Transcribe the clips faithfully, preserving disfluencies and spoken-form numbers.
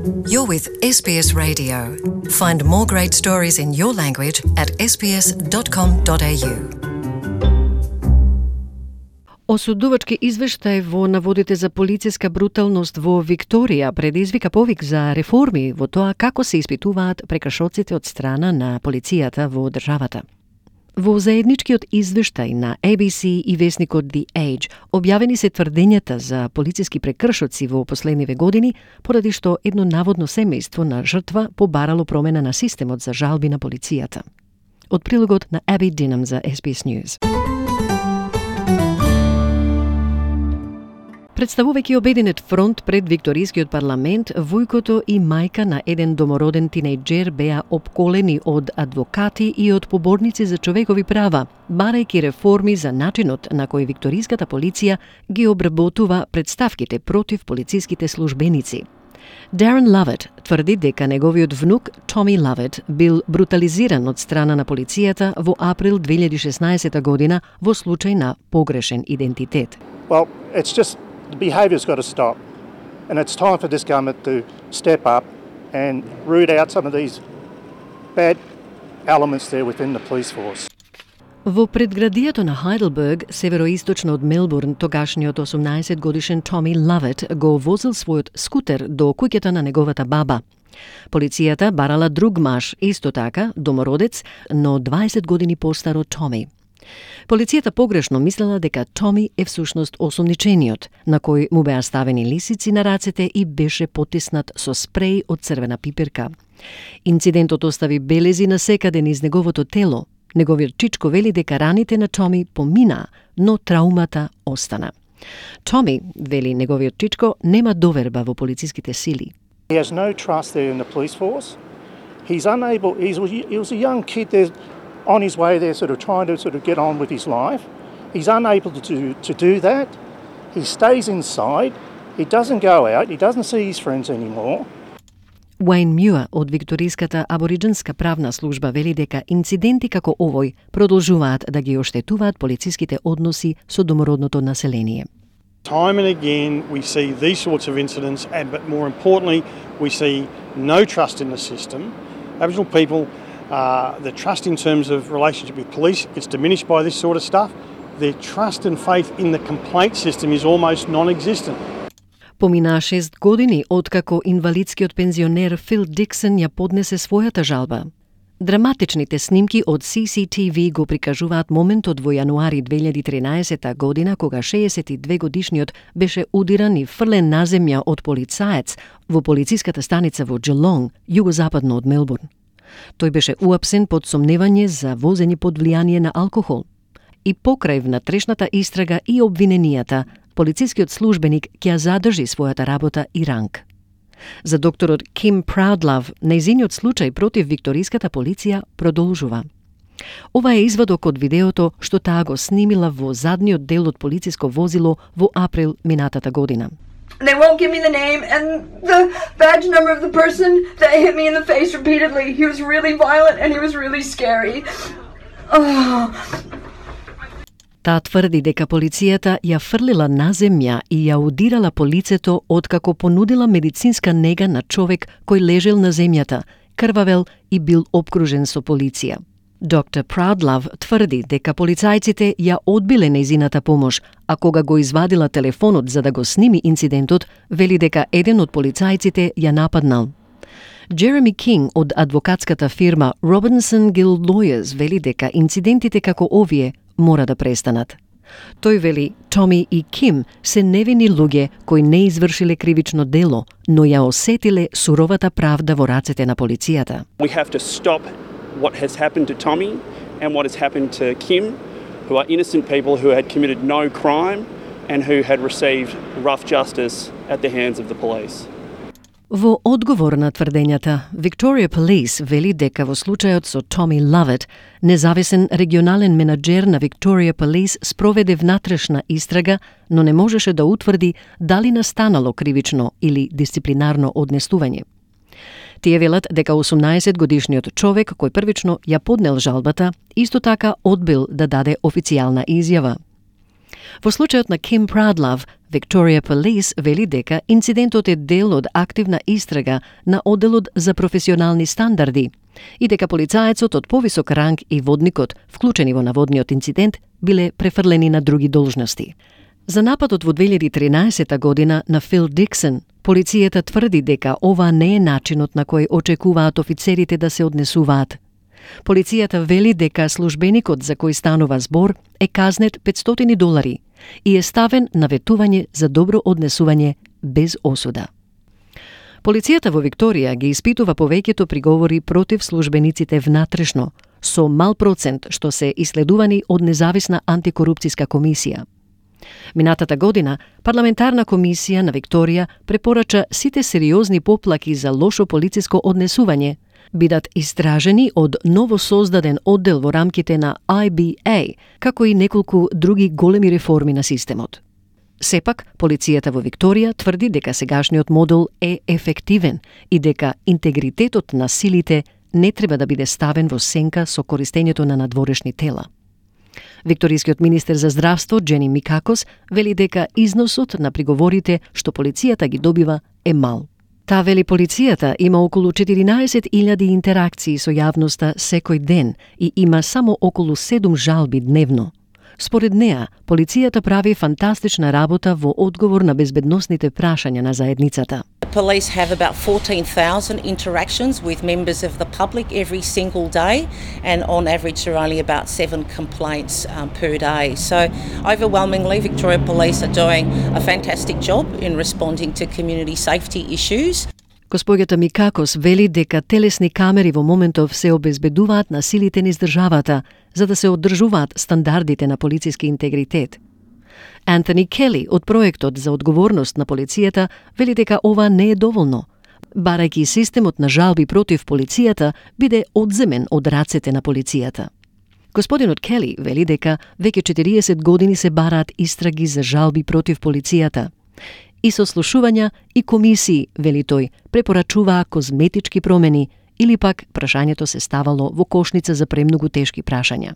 You're with S B S Radio. Find more great stories in your language at s b s dot com dot a u. Осудувачки извештај во наводите за полициска бруталност во Викторија предизвика повик за реформи во тоа како се испитуваат прекршоците од страна на полицијата во државата. Во заедничкиот извештај на A B C и весникот The Age објавени се тврдењата за полициски прекршоци во последниве години, поради што едно наводно семејство на жртва побарало промена на системот за жалби на полицијата. Од прилогот на Abby Dinham за S B S News. Представувајќи обединет фронт пред Викторискиот парламент, војкото и мајка на еден домороден тинејџер беа опколени од адвокати и од поборници за човекови права, барајќи реформи за начинот на кој викториската полиција ги обработува представките против полициските службеници. Darren Lovett тврди дека неговиот внук Tommy Lovett бил брутализиран од страна на полицијата во април две илјади и шеснаесета година во случај на погрешен идентитет. Well, it's just the behaviour's got to stop, and it's time for this government to step up and root out some of these bad elements there within the police force. Во предградието на Heidelberg, североисточно од Мелбурн, тогашниот осумнаесет годишен Tommy Lovett го возил својот скутер до куќата на неговата баба. Полицијата барала друг маж, исто така, домородец, но дваесет години постар од Tommy. Полицијата погрешно мислела дека Томи е всушност осумничениот, на кој му беа ставени лисици на рацете и беше потиснат со спреј од црвена пиперка. Инцидентот остави белези насекаде низ неговото тело. Неговиот чичко вели дека раните на Томи помина, но траумата остана. Томи, вели неговиот чичко, нема доверба во полициските сили. He has no trust there in the police force. He's unable, he's, he was a young kid there, on his way there, sort of trying to sort of get on with his life. He's unable to do, to do that. He stays inside. He doesn't go out. He doesn't see his friends anymore. Wayne Muir од Викториската абориджинска правна служба вели дека инциденти како овој продолжуваат да ги оштетуваат полициските односи со домородното население. Time and again we see these sorts of incidents, and but more importantly we see no trust in the system. Aboriginal people, Uh, the trust in terms of relationship with police gets diminished by this sort of stuff. Their trust and faith in the complaint system is almost non-existent. Поминаа шест години откако инвалидскиот пензионер Фил Диксон ја поднесе својата жалба. Драматичните снимки од C C T V го прикажуваат моментот во јануари две илјади и тринаесета година кога шеесет и две годишниот беше удиран и фрлен на земја од полицаец во полициската станица во Geelong, југозападно од Мелбурн. Тој беше уапсен под сомневање за возење под влијание на алкохол. И покрај внатрешната истрага и обвиненијата, полицискиот службеник ќе ја задржи својата работа и ранг. За докторот Kim Proudlove, нејзиниот случај против викториската полиција продолжува. Ова е извадок од видеото што таа го снимила во задниот дел од полициско возило во април минатата година. They won't give me the name and the badge number of the person that hit me in the face repeatedly. He was really violent and he was really scary. Oh. Таа тврди дека полицијата ја фрлила на земја и ја удирала по лицето откако понудила медицинска нега на човек кој лежел на земјата, крвавел и бил обкружен со полиција. доктор Proudlove тврди дека полицајците ја одбиле нејзината помош, а кога го извадила телефонот за да го сними инцидентот, вели дека еден од полицајците ја нападнал. Jeremy King од адвокатската фирма Robinson Gill Lawyers вели дека инцидентите како овие мора да престанат. Тој вели, Томи и Ким се невини луѓе кои не извршиле кривично дело, но ја осетиле суровата правда во рацете на полицијата. We have to stop what has happened to Tommy and what has happened to Kim, who are innocent people who had committed no crime and who had received rough justice at the hands of the police. Во одговор на тврдењата, Victoria Police вели дека во случајот со Tommy Lovett, независен регионален менаџер на Victoria Police спроведе внатрешна истрага, но не можеше да утврди дали настанало кривично или дисциплинарно однесување. Тие велат дека осумнаесет годишниот човек кој првично ја поднел жалбата, исто така одбил да даде официјална изјава. Во случајот на Kim Proudlove, Victoria Police вели дека инцидентот е дел од активна истрага на одделот за професионални стандарди и дека полицаецот од повисок ранг и водникот, вклучени во наводниот инцидент, биле префрлени на други должности. За нападот во две илјади и тринаесета година на Фил Диксон, полицијата тврди дека ова не е начинот на кој очекуваат офицерите да се однесуваат. Полицијата вели дека службеникот за кој станува збор е казнет петстотини долари и е ставен на ветување за добро однесување без осуда. Полицијата во Викторија ги испитува повеќето приговори против службениците внатрешно, со мал процент што се исследувани од независна антикорупцијска комисија. Минатата година, парламентарна комисија на Викторија препорача сите сериозни поплаки за лошо полициско однесување бидат истражени од ново создаден оддел во рамките на I B A, како и неколку други големи реформи на системот. Сепак, полицијата во Викторија тврди дека сегашниот модел е ефективен и дека интегритетот на силите не треба да биде ставен во сенка со користењето на надворешни тела. Викторискиот министер за здравство, Джени Микакос, вели дека износот на приговорите што полицијата ги добива е мал. Та вели полицијата има околу четиринаесет илјади интеракции со јавноста секој ден и има само околу седум жалби дневно. Според неа, полицијата прави фантастична работа во одговор на безбедносните прашања на заедницата. Police have about fourteen thousand interactions with members of the public every single day, and on average there are only about seven complaints um, per day. So overwhelmingly, Victoria Police are doing a fantastic job in responding to community safety issues. Госпоѓата Микакос вели дека телесни камери во моментов се обезбедуваат на силите низ државата, за да се одржуваат стандардите на полициски интегритет. Антони Кели од проектот за одговорност на полицијата вели дека ова не е доволно, барајќи системот на жалби против полицијата биде одземен од рацете на полицијата. Господинот Кели вели дека веќе четириесет години се бараат истраги за жалби против полицијата. И сослушувања и комисии, вели тој, препорачуваа козметички промени или пак прашањето се ставало во кошница за премногу тешки прашања.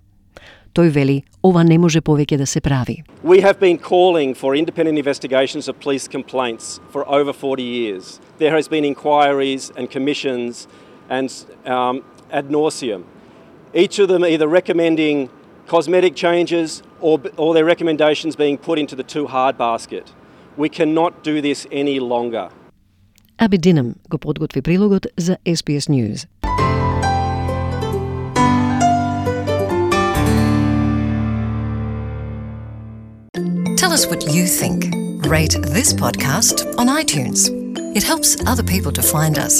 Тој вели, ова не може повеќе да се прави. We have been calling for independent investigations of police complaints for over forty years. There has been inquiries and commissions and um, ad nauseum. Each of them either recommending cosmetic changes or, or their recommendations being put into the too hard basket. We cannot do this any longer. Аби Динам го подготви прилогот за S B S News. Tell us what you think. Rate this podcast on iTunes. It helps other people to find us.